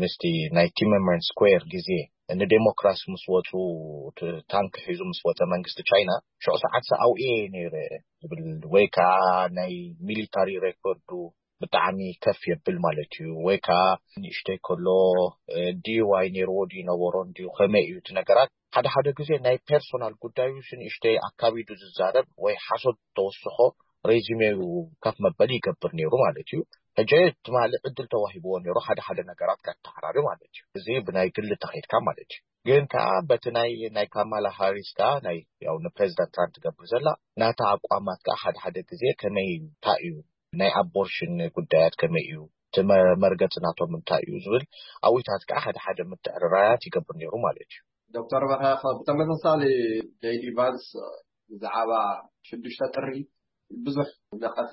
ምስቲ ናይ ቲመንመን ስኩዌር ግዜ ንዴሞክራሲ ምስ ወፁ፣ እቲ ታንክ ሒዙ ምስ ወፀ መንግስቲ ቻይና፣ ሽዑ ሰዓት ኣውኤ ነይረ ዝብል፣ ወይ ከዓ ናይ ሚሊታሪ ሬኮርዱ ብጣዕሚ ከፍ የብል ማለት እዩ። ወይ ከዓ ንእሽተይ ከሎ፣ እ፣ ዲዋይ ነይርዎ ድዩ ነበሮን ድዩ ከመይ እዩ እቲ ነገራት? ሓደ ሓደ ግዜ ናይ ፐርሶናል ጉዳዩ ንእሽተይ ኣካቢዱ ዝዛረብ ወይ ሓሶት ተወስኾ ሬዚሜኡ ከፍ መበሊ ይገብር ነይሩ ማለት እዩ። ሕጂ ትማሊ ዕድል ተዋሂብዎ ነይሩ ሓደ ሓደ ነገራት ከተዓራሪ ማለት እዩ። እዚ ብናይ ግሊ ተኸይድካ ማለት እዩ። ግን ከዓ በቲ ናይ፣ ናይ ካማላ ሃሪስ ከዓ ናይ፣ ያው ንፕሬዚዳንት ትራምፕ ትገብር ዘላ ናታ ኣቋማት ከዓ ሓደ ሓደ ግዜ ከመይ እዩ፣ እንታይ እዩ፣ ናይ ኣቦርሽን ጉዳያት ከመይ እዩ፣ እቲ መ-፣ መርገፂ ናቶም እንታይ እዩ ዝብል ኣብታት ከዓ ሓደ ሓደ ምትዕርራያት ይገብር ነይሩ ማለት እዩ። ዶክተር በርሀ፣ ብተመሳሳሊ ጀይዲ ቫንስ ብዛዕባ ሽዱሽተ ጥሪ ብዙሕ ነቐፋ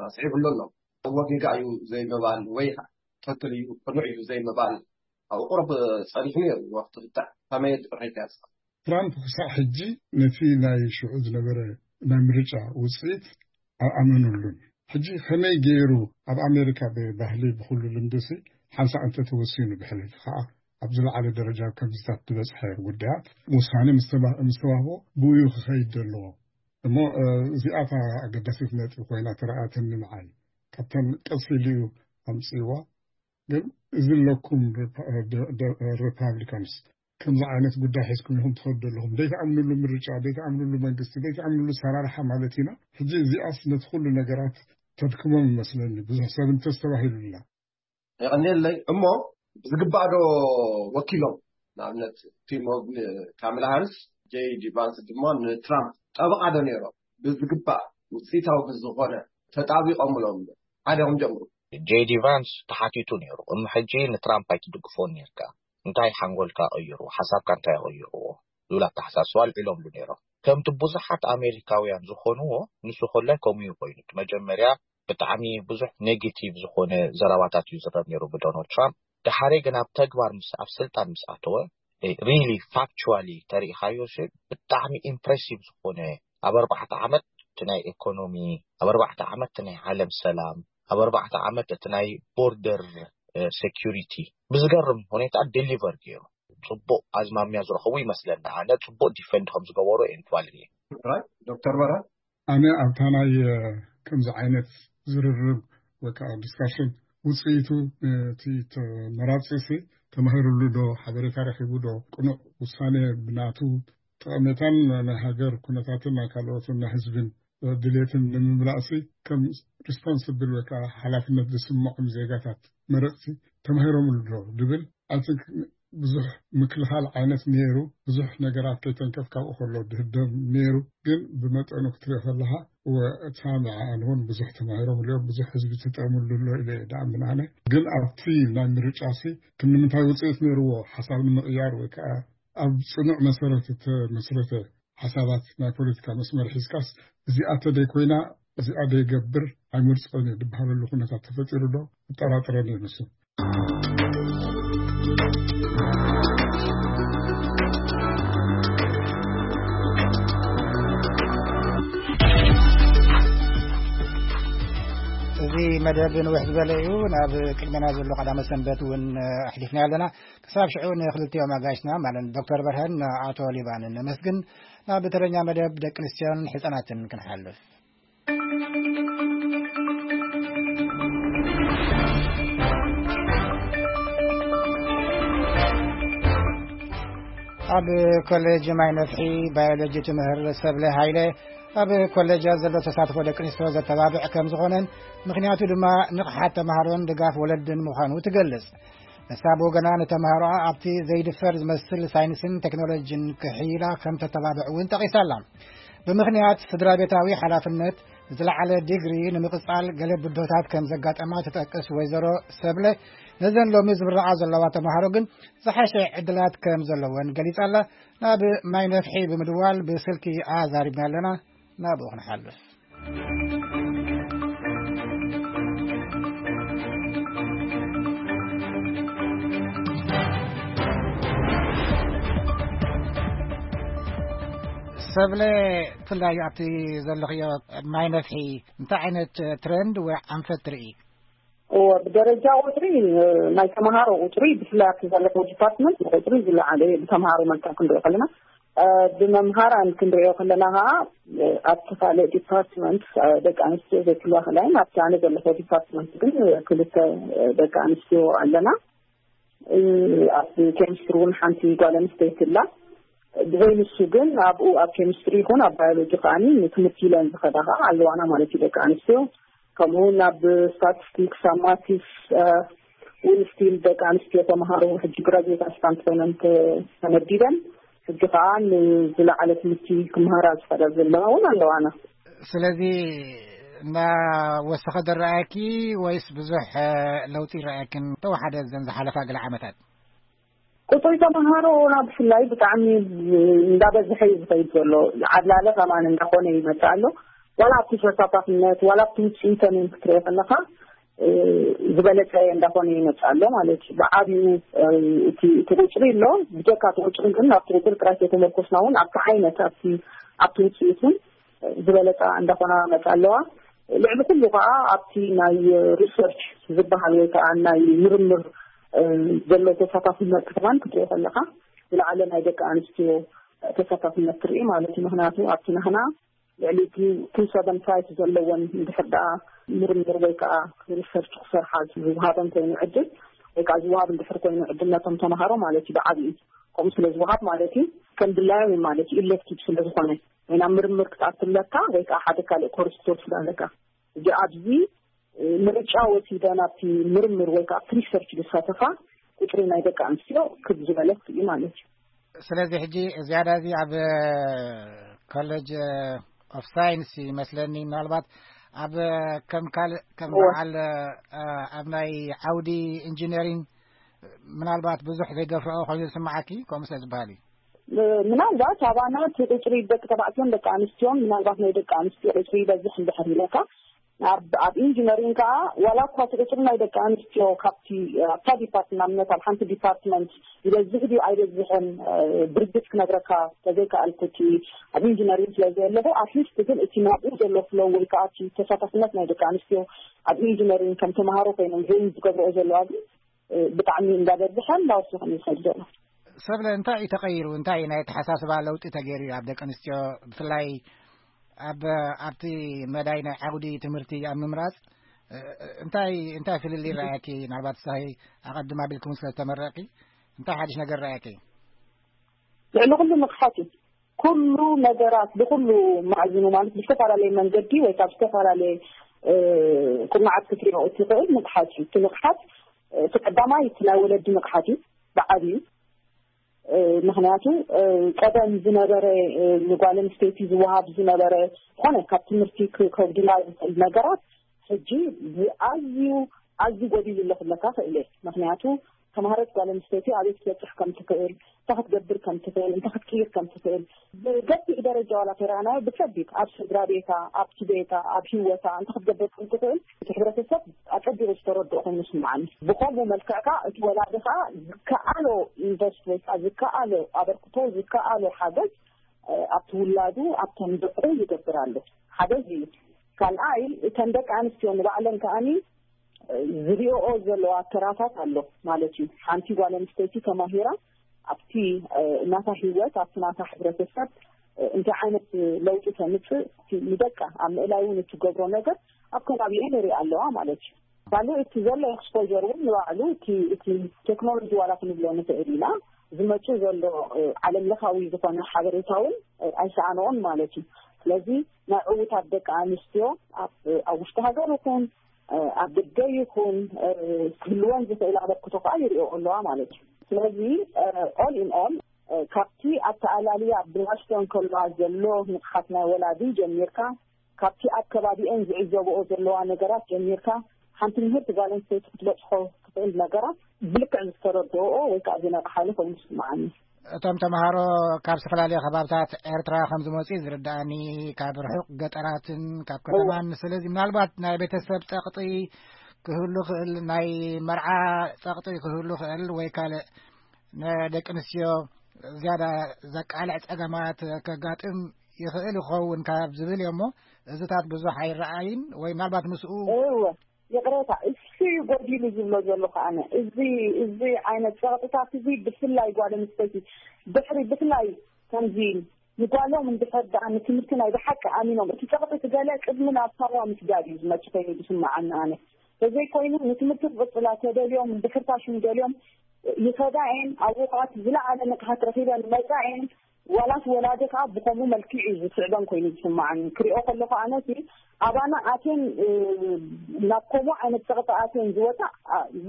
ኣስዒቡሉ ኣሎ። ወጊጋ እዩ ዘይምባል ወይ ትኽክል እዩ ቅኑዕ እዩ ዘይምባል ኣብ ቁሩብ ጸኒሑ ነይሩ። ወቅቲ ብታዕ ከመይ ርኢኻ? ትራምፕ ክሳዕ ሕጂ ነቲ ናይ ሽዑ ዝነበረ ናይ ምርጫ ውፅኢት ኣይኣመኑሉን። ሕጂ ከመይ ገይሩ ኣብ ኣሜሪካ ብባህሊ ብኩሉ ልምድሲ ሓንሳእ እንተተወሲኑ ብሕልፊ ከዓ ኣብ ዝለዓለ ደረጃ ከምዚታት ዝበፅሐ ጉዳያት ውሳኔ ምስ ተባ- ምስ ተዋህቦ ብኡ ክኸይድ ዘለዎ እሞ እዚኣታ ኣገዳሲት ነጥቢ ኮይና ተረኣትኒ ንዓይ። ካብተን ቀስ ኢሉ እዩ ኣምፅዋ። ግን እዚ ኣለኩም ሪፓብሊካንስ ከምዚ ዓይነት ጉዳይ ሒዝኩም ኢኹም ትኸዱ ኣለኹም። ዘይትኣምንሉ ምርጫ፣ ዘይትኣምንሉ መንግስቲ፣ ዘይትኣምንሉ ሰራርሓ ማለት ኢና። ሕጂ እዚኣስ ነቲ ኩሉ ነገራት ተድክሞም ይመስለኒ። ብዙሕ ሰብ እንተስተባሂሉላ። የቐንየለይ። እሞ ብዝግባእ ዶ ወኪሎም? ንኣብነት ቲም ወግን ካሜላ ሃሪስ፣ ጄዲ ቫንስ ድማ ንትራምፕ ጠበቓ ዶ ነይሮም? ብዝግባእ ውፅኢታዊ ብዝኾነ ተጣቢቖምሎም ሓደ ኹም ጀምሩ። ጄዲ ቫንስ ተሓቲቱ ነይሩ። እም ሕጂ ንትራምፕ ኣይትድግፎን ነርካ፣ እንታይ ሓንጎልካ ቀይሩ፣ ሓሳብካ እንታይ ቀይርዎ ዝብል ኣተሓሳስባ ኣልዒሎምሉ ነይሮም። ከምቲ ብዙሓት ኣሜሪካውያን ዝኾንዎ፣ ንሱ ኮላይ ከምኡ እዩ ኮይኑ። እቲ መጀመርያ ብጣዕሚ ብዙሕ ኔጌቲቭ ዝኾነ ዘረባታት እዩ ዝረብ ነይሩ ብዶናልድ ትራምፕ። ድሓረይ ግን ኣብ ተግባር ምስ ኣብ ስልጣን ምስ ኣተወ ሪሊ ፋክቹዋሊ ተሪኢኻዮ ሲ ብጣዕሚ ኢምፕሬሲቭ ዝኾነ፣ ኣብ ኣርባዕተ ዓመት እቲ ናይ ኢኮኖሚ፣ ኣብ ኣርባዕተ ዓመት እቲ ናይ ዓለም ሰላም፣ ኣብ ኣርባዕተ ዓመት እቲ ናይ ቦርደር ሴኪሪቲ ብዝገርም ሁኔታ ዴሊቨር ገይሩ። ፅቡቅ ኣዝማሚያ ዝረኸቡ ይመስለና። ኣነ ፅቡቅ ዲፈንድ ከም ዝገበሩ እየ ንትባል። ዶክተር በራ ኣነ ኣብታ ናይ ከምዚ ዓይነት ዝርርብ ወይ ከዓ ዲስካሽን ውፅኢቱ እቲ ተመራፂ ሲ ተማሂሩሉ ዶ ሓበሬታ ረኪቡ ዶ ቅኑዕ ውሳኔ ብናቱ ጠቐሜታን ናይ ሃገር ኩነታትን ናይ ካልኦትን ናይ ህዝብን ድሌትን ንምምላእሲ ከም ሪስፖንስብል ወይ ከዓ ሓላፍነት ዝስምዖም ዜጋታት መረፅቲ ተማሂሮምሉ ዶ ድብል ኣይ ቲንክ ብዙሕ ምክልኻል ዓይነት ነይሩ። ብዙሕ ነገራት ከይተንከፍ ካብኡ ከሎ ድህደም ነይሩ። ግን ብመጠኑ ክትሪኦ ከለኻ እወ እታ ንዓኣን እውን ብዙሕ ተማሂሮምሉ እዮም። ብዙሕ ህዝቢ ተጠቀምሉ ኣሎ ኢለ እየ ድኣምን ኣነ። ግን ኣብቲ ናይ ምርጫ ሲ ክንምንታይ ውፅኢት ነይርዎ ሓሳብ ንምቕያር ወይ ከዓ ኣብ ፅኑዕ መሰረት እተመስረተ ሓሳባት ናይ ፖለቲካ መስመር ሒዝካስ እዚኣ ተደይ ኮይና እዚኣ ደይገብር ኣይመርፅኦን እየ ድበሃለሉ ኩነታት ተፈጢሩ ዶ እጠራጥረን እየ ንሱ። እዚ መደብ ንውሕ ዝበለ እዩ። ናብ ቅድመና ዘሎ ቀዳመ ሰንበት እውን ኣሕሊፍና ኣለና። ክሳብ ሽዑ ንክልቲኦም ኣጋይሽና ማለት ዶክተር በርሀን ኣቶ ሊባንን ነመስግን። ናብ ተረኛ መደብ ደቂ ኣንስትዮን ሕፃናትን ክንሓልፍ። ኣብ ኮሌጅ ማይ ነፍሒ ባዮሎጂ ትምህር ሰብለ ሃይለ ኣብ ኮሌጃ ዘሎ ተሳትፎ ደቂ ኣንስትዮ ዘተባብዕ ከም ዝኾነን ምክንያቱ ድማ ንቕሓት ተምሃሮን ድጋፍ ወለድን ምዃኑ ትገልጽ። ንሳ ብወገና ንተምሃሮኣ ኣብቲ ዘይድፈር ዝመስል ሳይንስን ቴክኖሎጂን ክሕይላ ከም ተተባብዕ እውን ጠቒሳላ። ብምኽንያት ስድራ ቤታዊ ሓላፍነት ዝለዓለ ዲግሪ ንምቕጻል ገለ ብድሆታት ከም ዘጋጠማ ትጠቅስ ወይዘሮ ሰብለ፣ ነዘን ሎሚ ዝምረቓ ዘለዋ ተምሃሮ ግን ዝሓሸ ዕድላት ከም ዘለወን ገሊጻ ኣላ። ናብ ማይ ነፍሒ ብምድዋል ብስልኪ ኣዛሪብና ኣለና። ናብኡ ክንሓልፍ። ሰብለ፣ ብፍላይ ኣብቲ ዘለኽዮ ማይ ነፍሒ እንታይ ዓይነት ትረንድ ወይ ኣንፈት ትርኢ? እወ፣ ብደረጃ ቁፅሪ ናይ ተምሃሮ ቁፅሪ ብፍላይ ኣብቲ ዘለኹ ዲፓርትመንት ቁፅሪ ዝለዓለ እዩ። ብተምሃሮ መልክዕ ክንሪኦ ከለና፣ ብመምሃራን ክንሪኦ ከለና ከዓ ኣብቲ ካልእ ዲፓርትመንት ደቂ ኣንስትዮ ዘይክልዋ ከላይን ኣብቲ ኣነ ዘለኹ ዲፓርትመንት ግን ክልተ ደቂ ኣንስትዮ ኣለና። ኣብ ኬሚስትሪ እውን ሓንቲ ጓል ኣንስተይቲ ኣላ። ብዘይ ንሱ ግን ኣብኡ ኣብ ኬሚስትሪ ይኹን ኣብ ባዮሎጂ ከዓኒ ንትምህርቲ ኢለን ዝኸዳ ከዓ ኣለዋና ማለት እዩ ደቂ ኣንስትዮ። ከምኡ እውን ኣብ ስታቲስቲክስ፣ ኣብ ማቲስ እውን ስቲል ደቂ ኣንስትዮ ተምሃሮ ሕጂ ግራጅዌት ኣስታንት ኮይነን ተመዲበን ሕጂ ከዓ ንዝለዓለ ትምህርቲ ክምሃራ ዝኸዳ ዘለዋ እውን ኣለዋና። ስለዚ እናወሰኸ ዝረኣየኪ ወይስ ብዙሕ ለውጢ ይረኣየኪ ተወሓደ ዘን ዝሓለፋ ገለ ዓመታት? ቁፅሪ ተምሃሮ ናብ ብፍላይ ብጣዕሚ እንዳበዝሐ እዩ ዝኸይድ ዘሎ። ዓብላለ ከማን እንዳኾነ ይመፅእ ኣሎ። ዋላ ኣብቲ ተሳታፍነት ዋላ ኣብቲ ውፅኢተን እውን ክትሪኦ ከለካ ዝበለፀ እንዳኾነ ይመፅእ ኣሎ ማለት እዩ። ብዓብዩ እቲ ቁፅሪ ኣሎ። ብጀካ እቲ ቁፅሪ ግን ኣብቲ ቁፅሪ ጥራይ ተመርኮስና እውን ኣብቲ ዓይነት ኣብቲ ኣብቲ ውፅኢት እውን ዝበለፃ እንዳኾና መፃ ኣለዋ። ልዕሊ ኩሉ ከዓ ኣብቲ ናይ ሪሰርች ዝበሃል ወይ ከዓ ናይ ምርምር ዘሎ ተሳታፍነት ክማን ክትሪኦ ከለካ ዝለዓለ ናይ ደቂ ኣንስትዮ ተሳታፍነት ትርኢ ማለት እዩ። ምክንያቱ ኣብቲ ናህና ልዕሊ ቱ ሰቨን ፋይፍ ዘለዎን እንድሕር ደኣ ምርምር ወይ ከዓ ሪሰርች ክሰርሓ ዝውሃበን ኮይኑ ዕድል ወይ ከዓ ዝውሃብ እንድሕር ኮይኑ ዕድል ነቶም ተምሃሮ ማለት እዩ ብዓብዩ ከምኡ ስለ ዝውሃብ ማለት እዩ ከም ድላዮም እዩ ማለት እዩ ኢሌክቲቭ ስለ ዝኾነ ወይ ናብ ምርምር ክትኣትለካ ወይ ከዓ ሓደ ካልእ ኮርስ ክትወስድ ኣለካ። እዚ ኣብዚ ምርጫ ወሲደ ናብቲ ምርምር ወይ ከዓ ኣብቲ ሪሰርች ዝሳተፋ ቁፅሪ ናይ ደቂ ኣንስትዮ ክብ ዝበለት እዩ ማለት እዩ። ስለዚ ሕጂ ዝያዳ እዚ ኣብ ኮሌጅ ኦፍ ሳይንስ ይመስለኒ። ምናልባት ኣብ ከም ካልእ ከም በዓል ኣብ ናይ ዓውዲ ኢንጂነሪንግ ምናልባት ብዙሕ ዘይገፍዖ ኮይኑ ዝስምዓኪ ከምኡ ስለ ዝበሃል እዩ። ምናልባት ኣባና እቲ ቁፅሪ ደቂ ተባዕትዮን ደቂ ኣንስትዮን ምናልባት ናይ ደቂ ኣንስትዮ ቁፅሪ ይበዝሕ እንድሕር ኢለካ ኣብ ኣብ ኢንጂነሪንግ ከዓ ዋላ እኳ እቲ ቁፅሪ ናይ ደቂ ኣንስትዮ ካብቲ ኣብታ ዲፓርትመንት ኣብ ሓንቲ ዲፓርትመንት ይበዝሕ ድዩ ኣይበዝሕን ብርግፅ ክነግረካ ተዘይከኣልኩ እቲ ኣብ ኢንጂነሪንግ ስለ ዘለኹ ኣትሊስት ግን እቲ ናብኡ ዘሎ ፍሎ ወይ ከዓ እቲ ተሳታፍነት ናይ ደቂ ኣንስትዮ ኣብ ኢንጂነሪንግ ከም ተምሃሮ ኮይኖም ጆይን ዝገብርኦ ዘለዋ ግን ብጣዕሚ እንዳበዝሐ እንዳወሰኸ ይኸይድ ዘሎ። ሰብለ እንታይ እዩ ተቐይሩ? እንታይ እዩ ናይ ኣተሓሳስባ ለውጢ ተገይሩ እዩ ኣብ ደቂ ኣንስትዮ ብፍላይ ኣብ ኣብቲ መዳይ ናይ ዓውዲ ትምህርቲ ኣብ ምምራፅ እንታይ እንታይ ፍልልይ ረኣያኪ? ምናልባት ሳሂ ኣቐድም ኣቢልኩም ስለ ዝተመረቂ እንታይ ሓድሽ ነገር ረኣያኪ? ልዕሊ ኩሉ ንቕሓት እዩ። ኩሉ ነገራት ብኩሉ ማዕዝኑ ማለት ብዝተፈላለየ መንገዲ ወይ ካብ ዝተፈላለየ ኩርናዓት ክትሪኦ እትኽእል ንቕሓት እዩ። እቲ ንቕሓት እቲ ቀዳማይ እቲ ናይ ወለዲ ንቕሓት እዩ ብዓብዩ። ምክንያቱ ቀደም ዝነበረ ንጓል ኣንስተይቲ ዝወሃብ ዝነበረ ዝኾነ ካብ ትምህርቲ ከጉድላ ዝኽእል ነገራት ሕጂ ብኣዝዩ ኣዝዩ ጎዲሉ ኣሎ ክብለካ ክእል እየ። ምክንያቱ ተምሃረት ጓል ኣንስተይቲ ኣበይ ክትበፅሕ ከም ትኽእል፣ እንታይ ክትገብር ከም ትኽእል፣ እንታይ ክትቅይር ከም ትኽእል ብገፊሕ ደረጃ ዋላ ተረኣናዮ ብከቢድ ኣብ ስድራ ቤታ፣ ኣብቲ ቤታ፣ ኣብ ህይወታ እንታይ ክትገብር ከም ትኽእል እቲ ሕብረተሰብ ኣፀቢቑ ዝተረድኦ ኮይኑ ይስምዓኒ። ብከምኡ መልክዕ ከዓ እቲ ወላዲ ከዓ ዝከኣሎ ኢንቨስት ወይ ከዓ ዝከኣሎ ኣበርክቶ ዝከኣሎ ሓገዝ ኣብቲ ውላዱ ኣብቶም ደቁ ይገብር ኣሎ። ሓደ እዚ እዩ። ካልኣይ እተን ደቂ ኣንስትዮ ንባዕለን ከዓኒ ዝሪኦኦ ዘለዋ ተራታት ኣሎ ማለት እዩ። ሓንቲ ጓል ኣንስተይቲ ተማሂራ ኣብቲ ናታ ህይወት ኣብቲ ናታ ሕብረተሰብ እንታይ ዓይነት ለውጢ ተምፅእ ንደቃ ኣብ ምእላይ እውን እትገብሮ ነገር ኣብ ከባቢኤ ንሪኣ ኣለዋ ማለት እዩ። ካልእ እቲ ዘሎ ኤክስፖር እውን ንባዕሉ እቲ ቴክኖሎጂ ዋላ ክንብሎ ንኽእል ኢና ዝመፅእ ዘሎ ዓለም ለኻዊ ዝኾነ ሓበሬታ እውን ኣይሰኣንኦን ማለት እዩ። ስለዚ ናይ ዕውታት ደቂ ኣንስትዮ ኣብ ውሽጢ ሃገር ይኹን ኣብ ደገ ይኹን ክህልወን ዝኽእል ኣበርክቶ ከዓ ይሪኦ ኣለዋ ማለት እዩ። ስለዚ ኦል ኢን ኦል ካብቲ ኣተኣላልያ ብዋሽተን ከለዋ ዘሎ ንቕሓት ናይ ወላዲ ጀሚርካ ካብቲ ኣብ ከባቢኤን ዝዕዘብኦ ዘለዋ ነገራት ጀሚርካ ሓንቲ ምህርቲ ጓል ኣንስተይቲ ክትበፅሖ ትኽእል ነገራት ብልክዕ ዝተረድኦኦ ወይ ከዓ ዝነቕሓሉ ኮይኑ ይስምዓኒ። እቶም ተምሃሮ ካብ ዝተፈላለዩ ከባብታት ኤርትራ ከም ዝመፁ እዩ ዝርዳእኒ፣ ካብ ርሑቕ ገጠራትን ካብ ከተማን። ስለዚ ምናልባት ናይ ቤተሰብ ፀቕጢ ክህሉ ክእል፣ ናይ መርዓ ፀቕጢ ክህሉ ክእል ወይ ካልእ ንደቂ ኣንስትዮ ዝያዳ ዘቃልዕ ፀገማት ከጋጥም ይኽእል ይኸውን ካብ ዝብል እዮ እሞ እዚታት ብዙሕ ኣይረኣይን ወይ ምናልባት ምስኡ እወ ይቕሬታ እሱ እዩ ጎዲሉ ዝብሎ ዘለኹ ኣነ እዚ እዚ ዓይነት ፀቕጥታት እዚ ብፍላይ ጓል ኣንስተይቲ ድሕሪ ብፍላይ ከምዚ ንጓሎም እንድሕር ደኣ ንትምህርቲ ናይ ብሓቂ ኣሚኖም እቲ ፀቕጢ እቲ ገለ ቅድሚ ናብ ሳዋ ምስጋድ እዩ ዝመፅእ ኮይኑ ዝስምዓኒ ኣነ ተዘይኮይኑ ንትምህርቲ ክቕፅላ ተደልዮም እንድሕር ፋሽን ደልዮም ይኸዳ እየን ኣብኡ ከዓ እቲ ዝለዓለ ንቕሓት ረኺበን መፃ እየን ዋላስ ወላዲ ከዓ ብከምኡ መልክዕ እዩ ዝስዕበን ኮይኑ ዝስምዓኒ ክሪኦ ከለኩ ኣነሲ ኣባና ኣትየን ናብ ከምኡ ዓይነት ፀቕጢ ኣትየን ዝወፃ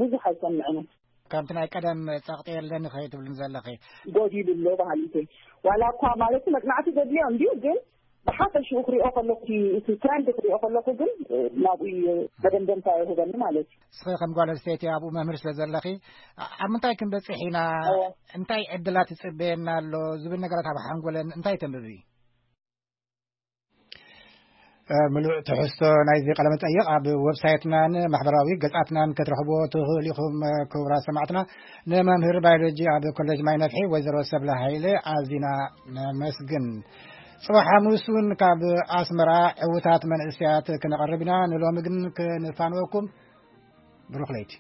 ብዙሕ ኣይሰምዕንን ከምቲ ናይ ቀደም ፀቕጢ የለን ኸ ትብልን ዘለኺ ጎዲሉ ኣሎ ባህሊተይ ዋላ እኳ ማለት መፅናዕቲ ዘድልዮ እንድዩ ግን ብሓፈሽኡ ክሪኦ ከለኩ፣ እቲ ትረንድ ክሪኦ ከለኩ ግን ናብኡ መደምደምታ ይህበኒ ማለት እዩ። እስኺ ከም ጓል ኣንስተይቲ ኣብኡ መምህር ስለ ዘለኺ፣ ኣብ ምንታይ ክንበፅሕ ኢና፣ እንታይ ዕድላት ይፅበየና ኣሎ ዝብል ነገራት ኣብ ሓንጎለን እንታይ ተንብቢ? ምሉእ ትሕዝቶ ናይዚ ቃለ መጠይቕ ኣብ ዌብሳይትናን ማሕበራዊ ገጻትናን ክትረኽብዎ ትኽእሉ ኢኹም። ክቡራት ሰማዕትና፣ ንመምህር ባዮሎጂ ኣብ ኮሌጅ ማይ ነፍሒ ወይዘሮ ሰብለ ሃይለ ኣዚና ነመስግን። ጽባሕ ሓሙስ እውን ካብ ኣስመራ ዕውታት መንእሰያት ክነቐርብ ኢና። ንሎሚ ግን ክንፋንወኩም። ብሩኽ ለይቲ።